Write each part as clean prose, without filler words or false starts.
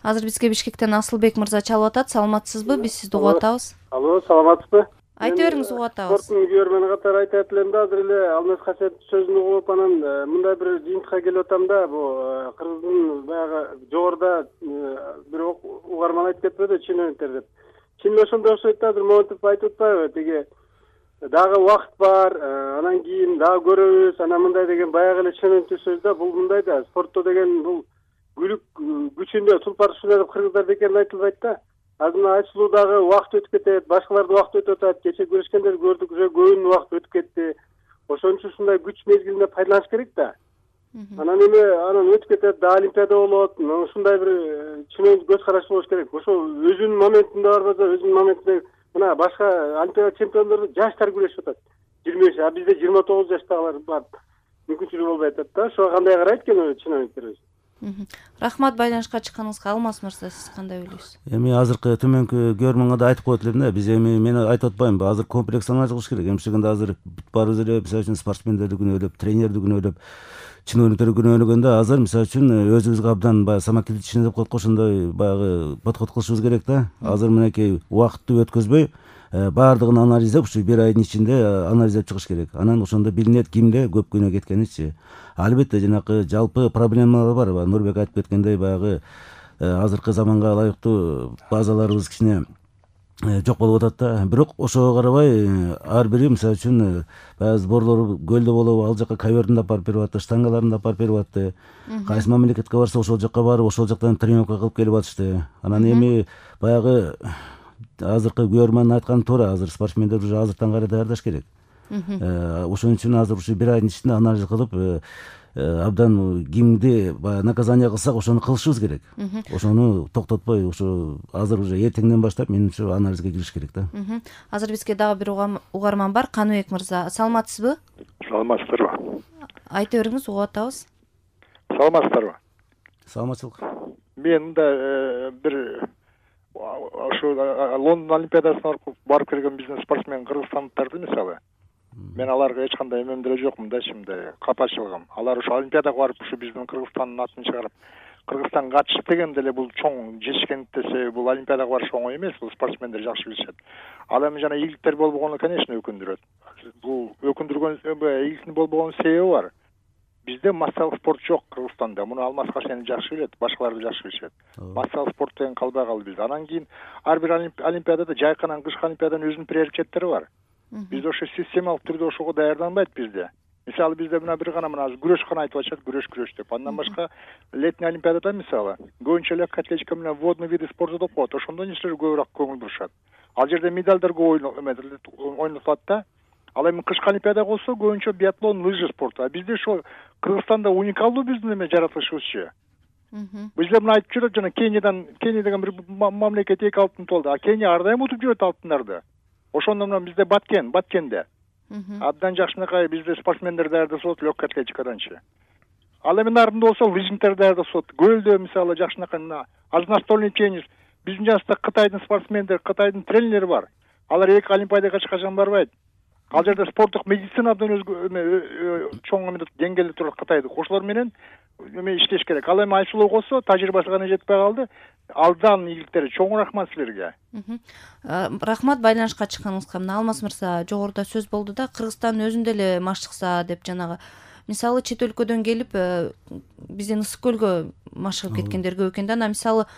Азыр бизге Бишкектен Асылбек мырза чалып атат. Саламатсызбы? Биз сизди угуп атабыз. Алло, саламатсызбы? Айта бериңиз, угуп атабыз. Спорттун көрөрмөн катары айтат элем да, азыр эле Алмаз Касиевдин сөзүн угуп анан мындай бир жыйынтыкка келип атам да, бу кыргыздын баягы жогоруда бир угарман айтып кетпеди, чиновниктер деп. Чын ошондой окшойт да, азыр Момунтип айтып атпайбы, тиги дагы убакыт бар, анан кийин дагы көрөбүз, анан мындай деген баягы эле чиновниктер сөз да, бул мындай да, спортто деген бул күлүк күчүндө тулпар ушундай деп кыргыздар деген айтылбайт да. Азыр айчылуудагы убакыт өтүп кетет, башкалардын убакыты өтүп атат, кече көрүшкөндөрдү көрдүк, уже көбүнүн убакыты өтүп кетти. Ошон үчүн ушундай күч мезгилинде пайдаланыш керек да. Анан өтүп кетет, да олимпиада болот, ушундай бир чын көз караш болуш керек. Ошо өзүнүн моментинде барбаса, өзүнүн моментинде мына башка олимпиада чемпиондору жаштар күрөшүп атат. 23, а бизде 29 жаштагылар бар. Мүмкүнчүлүгү болбой атат да. Ошого кандай карайт экен чиновниктер? Рахмат, байланышка чыкканыңызга. Алмаз мырза, сиз кандай ойлойсуз? Эми азыркы төмөнкү көрмөнгө да айтып коет элем да, биз эми мен айтып атпаймынбы, азыр комплекс кылыш керек. Эмчегенде азыр баарыбыз эле мисалы үчүн спортсмендерди күнөөлөп, тренерди күнөөлөп, чиновниктерди күнөөлөгөндө азыр мисалы үчүн өзүбүзгө абдан баягы самокритичный деп коет го, ошондой баягы подход кылышыбыз керек да. Азыр мынакей убакытты өткөзбөй баардыгын анализдеп, ушу бир айдын ичинде анализдеп чыгыш керек. Анан ошондо билинет кимде көп күнөө кеткеничи. Албетте жанакы жалпы проблемалар бар. Нурбек айтып кеткендей, баягы азыркы заманга ылайыктуу базаларыбыз кичине жок болуп атат да. Бирок ошого карабай ар бири мисалы үчүн баягы сборлор көлдө болобу, ал жака ковердин да алып берип атты, штангаларын да алып берип атты. Кайсы мамлекетке барса ошол жака барып, ошол жактан тренировка кылып келип атышты. Анан эми баягы азыркы көрөрмандын айтканы туура, азыр спортсмендер уже азыртан карай даярдаш керек. Ошон үчүн азыр ушу бир айдын ичинде анализ кылып, абдан кимди баягы наказание кылсак, ошону кылышыбыз керек. Ошону токтотпой, ошо азыр уже эртеңден баштап менимче анализге кириш керек да. Азыр бизге дагы бир угарман бар. Каныбек мырза, саламатсызбы? Саламатсыздарбы? Айта бериңиз, угуп атабыз. Саламатсыздарбы? Саламатчылык. Мен мында бир ошо Лондон олимпиадасына барып келген биздин спортсмен кыргызстандыктарды мисалы, мен аларга эч кандай эмем деле жокмун да, мындай капачылыгым. Алар ошо олимпиадага барып, ушу биздин Кыргызстандын атын чыгарып, Кыргызстанга катышып дегенде эле бул чоң жетишкендик десе, бул олимпиадага барыш оңой эмес, бул спортсмендер жакшы билишет. Ал эми жана ийгиликтер болбогону, конечно, өкүндүрөт. Бул өкүндүргөн ийгиликтин болбогон себеби бар. Бизде массалык спорт жок Кыргызстанда. Муну Алмаз Касиев жакшы билет, башкалар да жакшы билишет. Массалык спорт деген калбай калды бизде. Анан кийин ар бир олимпиадада жайканан кышкы олимпиаданын өзүнүн приоритеттери бар. Бизде ошо системалык түрдө ошого даярданбайт бизде. Мисалы бизде мына бир гана мына күрөш гана айтып атышат, күрөш деп. Андан башка летний олимпиадада мисалы көбүнчө легкая атлетика менен водный виды спорта деп коет. Ошондо нечелер көбүрөөк көңүл бурушат. Ал жерде медальдар көп ойнотулат да. Ал эми кышкы олимпиада болсо көбүнчө биатлон, лыжа спорту. А бизде ошо Кыргызстанда уникалдуу биздин эме жаратылышыбызчы. Бизде мына айтып жүрөт, жана Кения деген бир мамлекет 2 алтын толду. А Кения ар дайым утуп жүрөт алтындарды. Ошондо мына бизде Баткенде абдан жакшынакай бизде спортсмендер даярдашат легкая атлетикаданчы. Ал эми нарында болсо лыжниктер даярдашат. Көлдө мисалы жакшынакай мына настольный теннис. Биздин жаныбызда Кытайдын спортсмендери, Кытайдын тренерлери бар. Алар 2 олимпиадага эч качан барбайт. Ал жерде спорттук медицина абдан чоң деңгээлде турат Кытайдык. Ошолор менен иштеш керек. Ал эми Айсулуу болсо тажрыйбасы гана жетпей калды. Алдан ийгиликтери чоң рахмат силерге. Рахмат, байланышка чыкканыңызга. Мына Алмаз мырза, жогоруда сөз болду да, Кыргызстандын өзүндө эле маш чыкса деп, жанагы мисалы чет өлкөдөн келип биздин ысык көлгө маш чыгып кеткендер көп экен да. Анан мисалы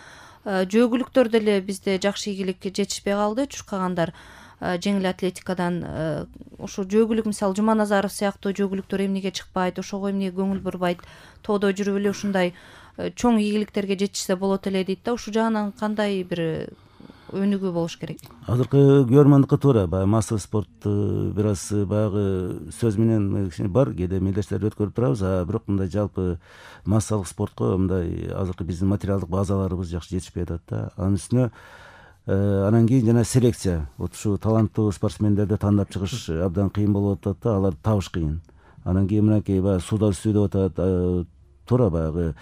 жөөгүлүктөр деле бизде жакшы ийгиликке жетишпей калды, чуркагандар жеңил атлетикадан. Ошо жөөгүлүк мисалы Жуманазаров сыяктуу жөөгүлүктөр эмнеге чыкпайт, ошого эмне көңүл бурбайт, тоодо жүрүп эле ушундай чоң ийгиликтерге жетишсе болот эле дейт да. Ушул жагынан кандай бир өнүгүү болуш керек? Азыркы көрөрмандыкы туура, баягы массовый спорт бир аз баягы сөз менен кичине бар, кээде мелдештерди өткөрүп турабыз, бирок мындай жалпы массалык спортко мындай азыркы биздин материалдык базаларыбыз жакшы жетишпей атат да. Анын үстүнө анан кийин жана селекция, вот ушу таланттуу спортсмендерди тандап чыгыш абдан кыйын болуп атат да, аларды табыш кыйын. Анан кийин мынакей баягы сууда үстүү деп атат, туура баягы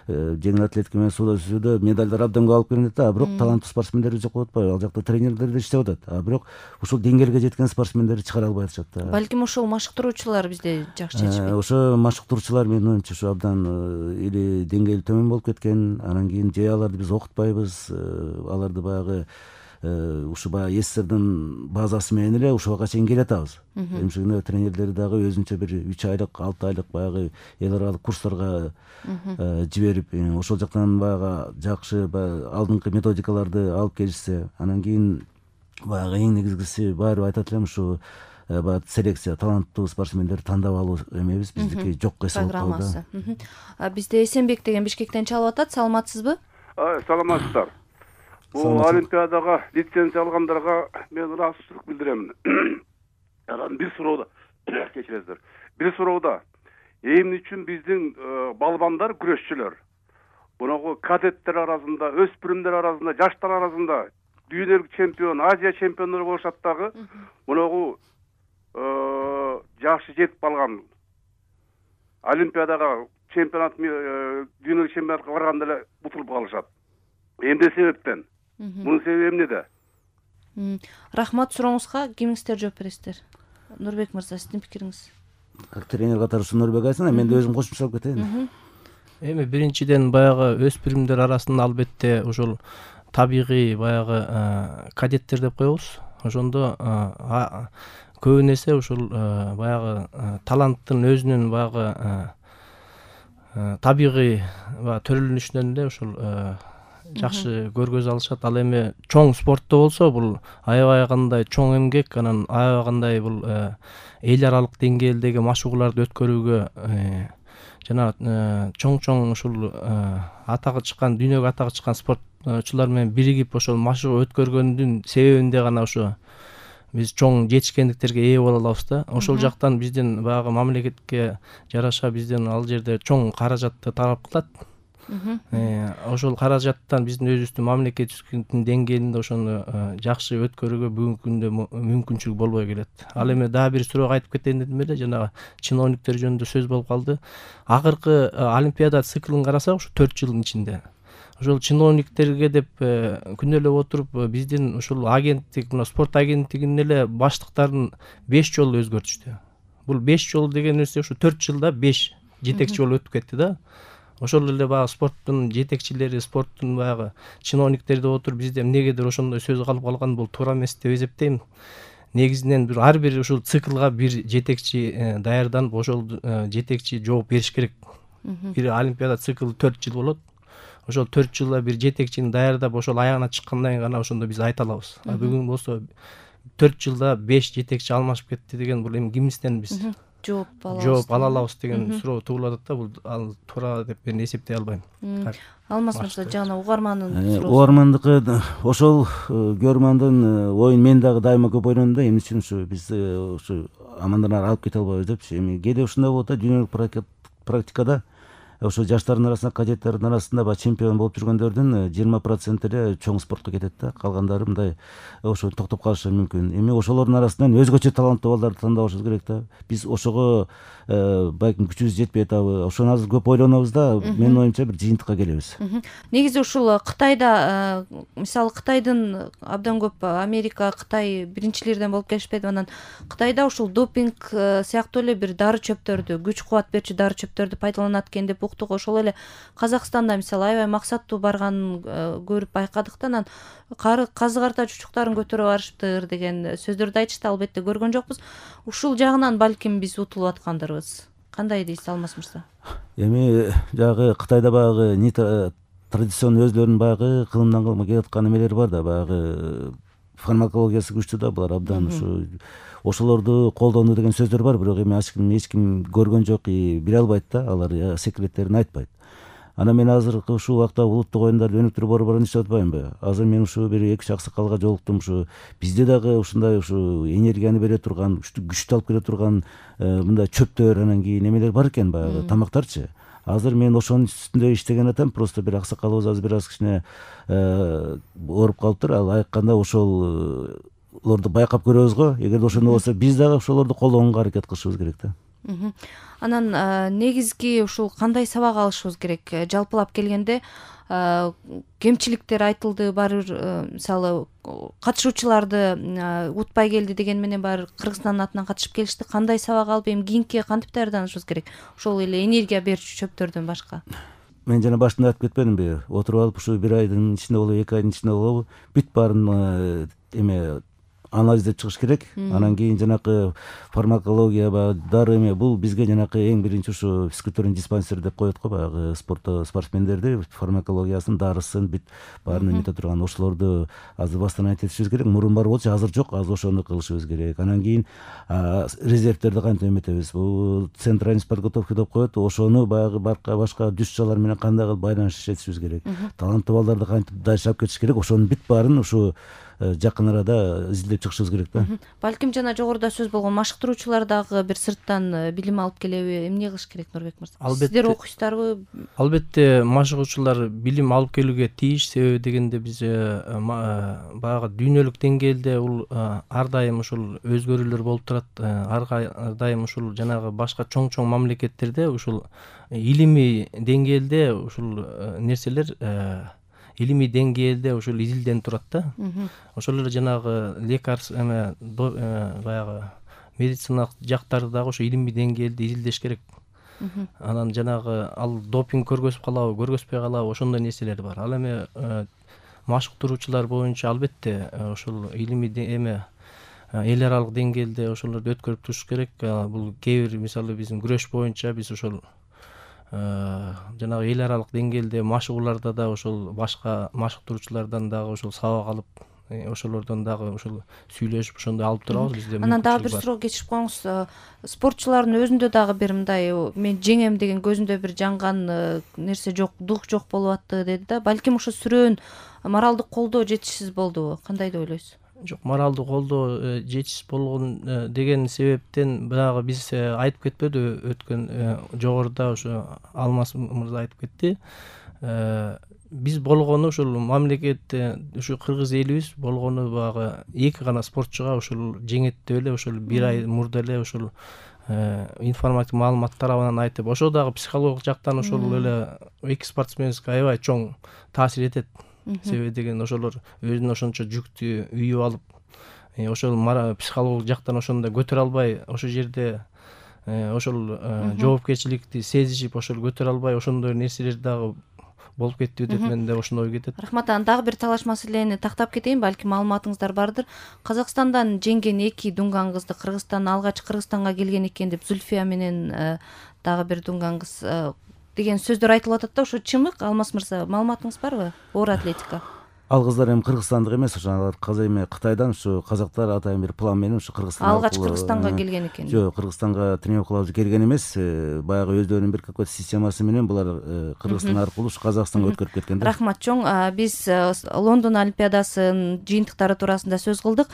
жеңил атлетика менен сууда жүзүүдө медалдар абдан көп алып келинет да, бирок таланттуу спортсмендерди жокко атпайбы, ал жакта тренерлер да иштеп атат, бирок ушул деңгээлге жеткен спортсмендерди чыгара албай атышат да. Балким ошол машыктыруучулар бизде жакшы жетишпейт. Ошо машыктыруучулар менин оюмча ушу абдан или деңгээли төмөн болуп кеткен, анан кийин же аларды биз окутпайбыз, аларды баягы ушу баягы СССРдин базасы менен эле ушуга чейин келе атабыз. Эмшегине тренерлери дагы өзүнчө бир 3 айлык, 6 айлык баягы эл аралык курстарга жиберип, ошол жактан баягы жакшы алдыңкы методикаларды алып келишсе, анан кийин баягы эң негизгиси баары айтат элем ушу баягы селекция, таланттуу спортсмендерди тандап алуу эмебиз биздики жокко эсе болуп калды. Бизде Эсенбек деген Бишкектен чалып атат. Саламатсызбы? Саламатсыздар. Бул олимпиадага лицензия алгандарга мен ыраазычылык билдирем. Анан бир суроодо кечиресиздер. Бир суроодо эмне үчүн биздин балбандар, күрөшчүлөр мунагу кадеттер арасында, өспүрүмдөр арасында, жаштар арасында дүйнөлүк чемпион, Азия чемпиондору болушат дагы мунагу жакшы жетип калган олимпиадага чемпионат, дүйнөлүк чемпионатка барганда эле утулуп калышат. Эмне себептен? Мунун себеби эмнеде? Рахмат, сурооңузга кимиңиздер жооп бересиздер? Нурбек мырза, сиздин пикириңиз? Тренер катары ушу Нурбек айтсын, мен да өзүм кошумча салып кетейин. Эми биринчиден баягы өспүрүмдөр арасында албетте ошол табигый баягы кадеттер деп коебуз. Ошондо көбүн эсе ушул баягы таланттын өзүнүн баягы табигый төрөлүнүшүнөн эле ушул жакшы көргөзө алышат. Ал эми чоң спортто болсо бул аябай кандай чоң эмгек, анан аябай кандай бул эл аралык деңгээлдеги машыгууларды өткөрүүгө жана чоң ушул атагы чыккан, дүйнөгө атагы чыккан спортчулар менен биригип ошол машыгуу өткөргөндүн себебинде гана ошо биз чоң жетишкендиктерге ээ боло алабыз да. Ошол жактан биздин баягы мамлекетке жараша биздин ал жерде чоң каражатты талап кылат. Ошол каражаттан биздин өзүбүздүн мамлекетибиздин деңгээлинде ошону жакшы өткөрүүгө бүгүнкү күндө мүмкүнчүлүк болбой келет. Ал эми дагы бир суроого айтып кетейин дедим эле, жанагы чиновниктер жөнүндө сөз болуп калды. Акыркы олимпиада циклын карасак, ушу 4 жылдын ичинде ошол чиновниктерге деп күнөөлөп отуруп биздин ушул агенттик, мына спорт агенттигинин эле баштыктарын 5 жолу өзгөртүштү. Бул 5 жол деген нерсе ушу 4 жылда 5 жетекчи болуп өтүп кетти да. Ошол эле баягы спорттун жетекчилери, спорттун баягы чиновниктери деп отуруп бизде эмнегедир ошондой сөз калып калган, бул туура эмес деп эсептейм. Негизинен ар бир ушул циклга бир жетекчи даярданып, ошол жетекчи жооп бериш керек. Бир олимпиада циклы 4 жыл болот. Ошол 4 жылда бир жетекчини даярдап, ошол аягына чыккандан кийин гана ошондо биз айта алабыз. Бүгүн болсо 4 жылда 5 жетекчи алмашып кетти деген, бул эми кимибизден биз жооп ала алабыз деген суроо туулуп атат да. Бул ал туура деп мен эсептей албайм. Алмаз мырза, жана угармандын суроосу. Угармандыкы ошол көрмандын оюн мен дагы дайыма көп ойлондум да, эмне үчүн ушу биз ушу амандан ары алып кете албайбыз депчи. Эми кээде ушундай болот да, дүйнөлүк практикада ошо жаштардын арасында, кадеттердин арасында баягы чемпион болуп жүргөндөрдүн 20% эле чоң спортко кетет да, калгандары мындай ошо токтоп калышы мүмкүн. Эми ошолордун арасынан өзгөчө таланттуу балдарды тандабашыбыз керек да. Биз ошого балким күчүбүз жетпей атабы, ошону азыр көп ойлонобуз да, менин оюмча бир жыйынтыкка келебиз. Негизи ушул Кытайда, мисалы Кытайдын абдан көп, Америка, Кытай биринчилерден болуп келишпедиби? Анан Кытайда ушул допинг сыяктуу эле бир дары чөптөрдү, күч кубат берчү дары чөптөрдү пайдаланат экен деп уктук. Ошол эле Казакстанда мисалы аябай максаттуу барганын көрүп байкадык да. Анан казы карта чучуктарын көтөрүп барышыптыр деген сөздөрдү айтышты. Албетте көргөн жокпуз. Ушул жагынан балким биз утулуп аткандырбыз. Кандай дейсиз, Алмаз мырза? Эми жагы Кытайда баягы традиционный өзлөрүнүн баягы кылымдан кылымга келип аткан эмелери бар да, баягы фармакологиясы күчтүү да, булар абдан ушу ошолорду колдонду деген сөздөр бар, бирок эми эч ким көргөн жок, биле албайт да, алар секреттерин айтпайт. Анан мен азыркы ушул убакта улуттук оюндарды өнүктүрүү борборунда иштеп атпаймынбы? Азыр мен ушу бир 2-3 аксакалга жолуктум. Ушу бизде дагы ушундай ушу энергияны бере турган, күчтү алып келе турган мындай чөптөр, анан кийин эмелер бар экен, баягы тамактарчы. Азыр мен ошонун үстүндө иштеген атам, просто бир аксакалыбыз азыр бир аз кичине ооруп калыптыр. Ал айтканда ошолорду байкап көрөбүз го. Эгерде ошондой болсо, биз дагы ошолорду колдонууга аракет кылышыбыз керек да. Анан негизги ушул кандай сабак алышыбыз керек? Жалпылап келгенде кемчиликтер айтылды, баары бир мисалы катышуучуларды утпай келди деген менен баары Кыргызстандын атынан катышып келишти. Кандай сабак алып эми кийинки кантип даярданышыбыз керек? Ошол эле энергия берүүчү чөптөрдөн башка. Мен жана башында айтып кетпедимби? Отуруп алып ушу 1 айдын ичинде болобу, 2 айдын ичинде болобу, бүт баарын эме анализдеп чыгыш керек. Анан кийин жанакы фармакология дары эме бул бизге жанакы эң биринчи ушу физкультурный диспансер деп коет го, баягы спортсмендерди фармакологиясын, дарысын бүт баарын эмете турган ошолорду азыр восстановить этишибиз керек. Мурун бар болчу, азыр жок, азыр ошону кылышыбыз керек. Анан кийин резервтерди кантип эметебиз? Бул центральный подготовка деп коет, ошону баягы башка дюшчалар менен кандай кылып байланыш этишибиз керек. Таланттуу балдарды кантип дайчалап кетиш керек? Ошонун бүт баарын ушу жакын арада изилдеп чыгышыбыз керек да. Балким жана жогоруда сөз болгон машыктыруучулар дагы бир сырттан билим алып келеби? Эмне кылыш керек, Нурбек мырза? Сиздер окуйсуздарбы? Албетте машыгуучулар билим алып келүүгө тийиш. Себеби дегенде биз баягы дүйнөлүк деңгээлде бул ар дайым ушул өзгөрүүлөр болуп турат. Ар дайым ушул жанагы башка чоң мамлекеттерде ушул илимий деңгээлде ушул нерселер илимий деңгээлде ушул изилденип турат да. Ошол эле жанагы лекарство баягы медициналык жактарды дагы ошо илимий деңгээлде изилдеш керек. Анан жанагы ал допинг көргөзүп калабы, көргөзбөй калабы, ошондой нерселер бар. Ал эми машыктыруучулар боюнча албетте ошол илимий эл аралык деңгээлде ошолорду өткөрүп туруш керек. Бул кээ бир мисалы биздин күрөш боюнча биз ошол жанагы эл аралык деңгээлде машыгууларда да ошол башка машыктыруучулардан дагы ошол сабак алып, ошолордон дагы ошол сүйлөшүп ошондой алып турабыз бизде. Анан дагы бир суроо кечирип коюңуз. Спортчулардын өзүндө дагы бир мындай мен жеңем деген көзүндө бир жанган нерсе жок, дух жок болуп атты деди да. Балким ошо сүрөөн моралдык колдоо жетишсиз болдубу? Кандай деп ойлойсуз? Жок, моралдык колдоо жетишсиз болгон деген себептен баягы биз айтып кетпедиби, өткөн жогоруда ошо Алмаз мырза айтып кетти. Биз болгону ушул мамлекетте ушу кыргыз элибиз болгону баягы 2 гана спортчуга ушул жеңет деп эле ошол 1 ай мурда эле ушул информатив маалымат тарабынан айтып, ошо дагы психологик жактан ошол эле 2 спортсменге аябай чоң таасир этет. Себеби деген ошолор өзүнө ошончо жүктү үйүп алып, ошол психологик жактан ошондой көтөрө албай, ошол жерде ошол жоопкерчиликти сезишип, ошол көтөрө албай, ошондой нерселер дагы болуп кеттиби деп менде ошондой ой кетет. Рахмат. Дагы бир талаш маселени тактап кетейин, балким маалыматыңыздар бардыр. Казакстандан жеңген 2 дунган кызды Кыргызстанга келген экен деп Зульфия менен дагы бир дунган кыз деген сөздөр айтылып атат да, ошо чымык? Алмаз мырза, маалыматыңыз барбы? Оор атлетика. Ал кыздар эми кыргызстандык эмес, ошо алар эми Кытайдан ушу казактар атайын бир план менен ушу Кыргызстанга алгач Кыргызстанга келген экен. Жок, Кыргызстанга тренировкалап келген эмес, баягы өздөрүнүн бир какой-то системасы менен булар Кыргызстан аркылуу ушу Казакстанга өткөрүп кеткен да. Рахмат чоң. Биз Лондон олимпиадасынын жыйынтыктары туурасында сөз кылдык.